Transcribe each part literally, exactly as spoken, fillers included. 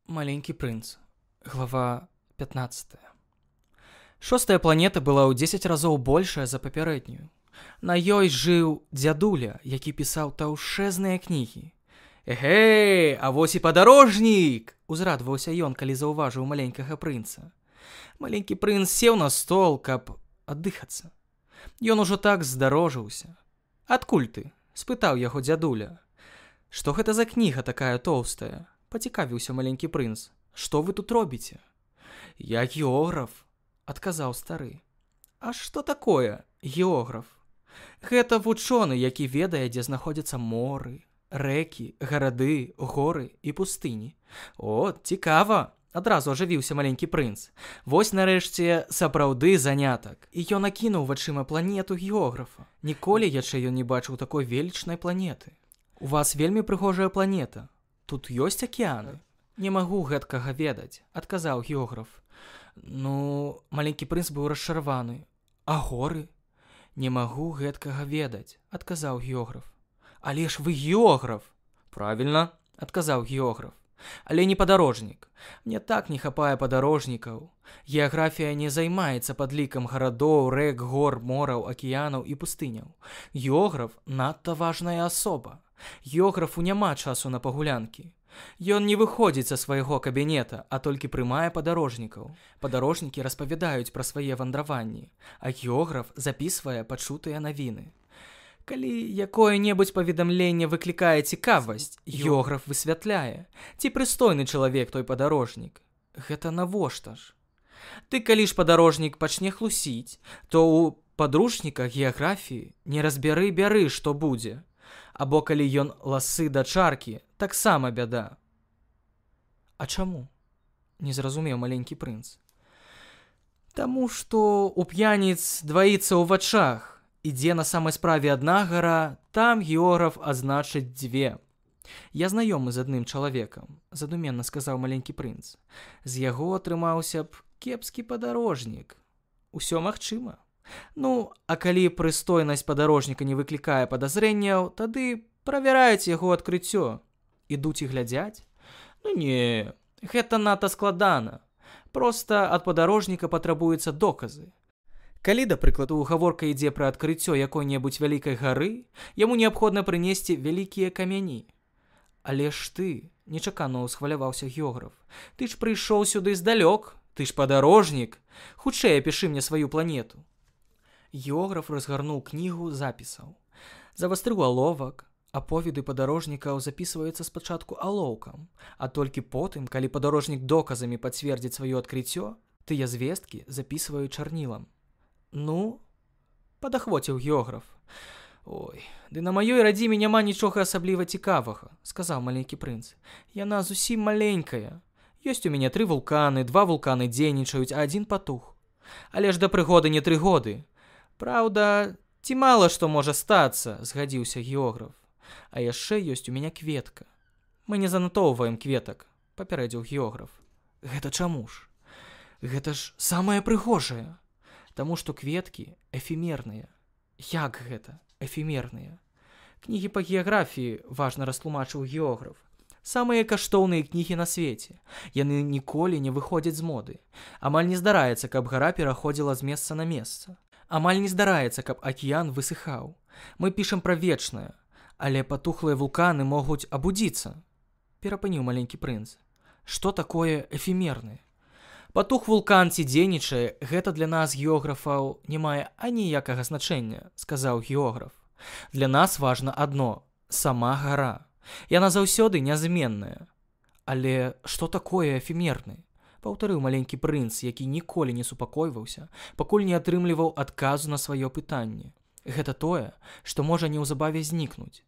Маленький принц. Глава пятнадцатая. Шостая планета была ў дзесяць разоў большая за папярэднюю. На ёй жыў дзядуля, які пісаў таўшэзныя кнігі. «Эгэй, а вось і падарожнік!» — узрадваўся ён, калі заўважыў маленькага прынца. Маленькі прынц сеў на стол, каб аддыхацца. Ён ужо так здарожыўся. «Адкуль ты?» — спытаў яго дзядуля. «Што гэта за кніга такая тоўстая?» — пацікавіўся маленькі прынц. «Што вы тут робіце?» «Я географ», — адказаў стары. «А што такое географ?» «Гэта вучоны, які ведае, дзе знаходзяцца моры, рэкі, гарады, горы і пустыні». «О, цікава!» — адразу ажывіўся маленькі прынц. «Вось нарэшце сапраўды занятак». І ён акінуў вачыма планету географа. Ніколі яшчэ ён не бачыў такой велічнай планеты. «У вас вельмі прыгожая планета. Тут ёсць акеаны?» «Не магу гэткага ведаць», — адказаў географ. «Ну...» — маленькі прынц быў расчараваны. «А горы?» «Не магу гэткага ведаць», — адказаў географ. «Але ж вы географ!» «Правільна», — адказаў географ. «Але не падарожнік. Мне так не хапае падарожнікаў. Геаграфія не займаецца падлікам гарадоў, рэк, гор, мораў, акіянаў і пустыняў. Географ надта важная асоба. Географу няма часу на пагулянкі. Ён не выходзіць са свайго кабінета, а толькі прымае падарожнікаў. Падарожнікі распавядаюць пра свае вандраванні, а географ запісвае пачутыя навіны. Калі якое-небудзь паведамленне выклікае цікавасць, географ высвятляе, ці прыстойны чалавек той падарожнік. Гэта навошта ж? Ты калі ж падарожнік пачне хлусіць, то ў падручніках геаграфіі не разбяры бяры, што будзе. Або калі ён ласы да чаркі, таксама бяда». «А чаму?» — не зразумеў маленькі прынц. «Таму што у п'яніц дваіцца ў вачах. Ідзе на самай справе адна гара, там географ азначыць дзве. Я знаёмы з адным чалавекам», — задуменна сказаў маленькі прынц. «З яго атрымаўся б кепскі падарожнік. Усё магчыма. Ну, а калі прыстойнасць падарожніка не выклікае падазрэнняў, тады правяраюць яго адкрыццё. Ідуць і глядзяць? Ну не, гэта надта складана. Проста ад падарожніка патрабуюцца доказы. Калі, да прыкладу, гаворка ідзе пра адкрыццё якой-небудзь вялікай гары, яму неабходна прынесці вялікія камяні». «Але ж ты», — нечакана ўсхваляваўся географ, «ты ж прыйшоў сюды здалёк, ты ж падарожнік. Хутчэй апішы мне сваю планету». Географ разгарнуў кнігу запісаў. Завастрыў аловак. Аповеды падарожнікаў запісваюцца спачатку алоўкам, а толькі потым, калі падарожнік доказамі пацвердзіць сваё адкрыццё, тыя звесткі запісваюць чарнілам. «Ну?» — падахвоціў географ. «Ой, ды на маёй радзіме няма нічога асабліва цікавага», — сказаў маленькі прынц. «Яна зусім маленькая. Ёсць у мяне тры вулканы, два вулканы дзейнічаюць, а адзін патух. Але ж да прыгоды не тры годы. Праўда, ці мала што можа стацца», — згадзіўся географ. «А яшчэ ёсць у мяне кветка». «Мы не занатоўваем кветак», — папярэдзіў географ. «Гэта чаму ж?» «Гэта ж самае прыгожае. Таму што кветкі эфемерныя». «Як гэта эфемерныя?» «Кнігі па геаграфіі», — важна растлумачыў географ. «Самыя каштоўныя кнігі на свеце. Яны ніколі не выходзяць з моды. Амаль не здараецца, каб гара пераходзіла з месца на месца. Амаль не здараецца, каб акіян высыхаў. Мы пішам пра вечнае, але патухлыя вулканы могуць абудзіцца», — перапыніў маленькі прынц. «Што такое эфемерны?» «Патух вулкан ці дзейнічае, гэта для нас, географаў, не мае аніякага значэння», — сказаў географ. «Для нас важна адно — сама гара. Яна заўсёды нязменная». «Але што такое эфемерны?» — паўтарыў маленькі прынц, які ніколі не супакойваўся, пакуль не атрымліваў адказу на сваё пытанне. «Гэта тое, што можа неўзабаве знікнуць».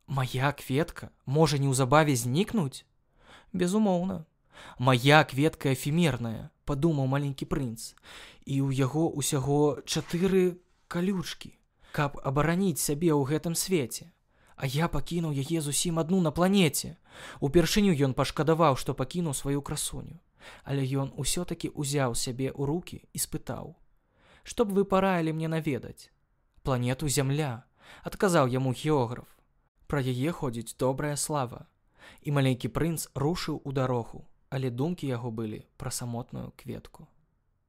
«Мая кветка можа неўзабаве знікнуць?» «Безумоўна. Мая кветка эфемерная», — падумаў маленькі прынц. «І ў яго ўсяго чатыры калючкі, каб абараніць сябе ў гэтым свеце. А я пакінуў яе зусім адну на планеце». Упершыню ён пашкадаваў, што пакінуў сваю красуню. Але ён усё-такі ўзяў сябе ў рукі і спытаў: «Што б вы параілі мне наведаць?» «Планету Зямля», — адказаў яму географ. «Пра яе ходзіць добрая слава». І маленькі прынц рушыў у дарогу. але думкі яго былі пра самотную кветку.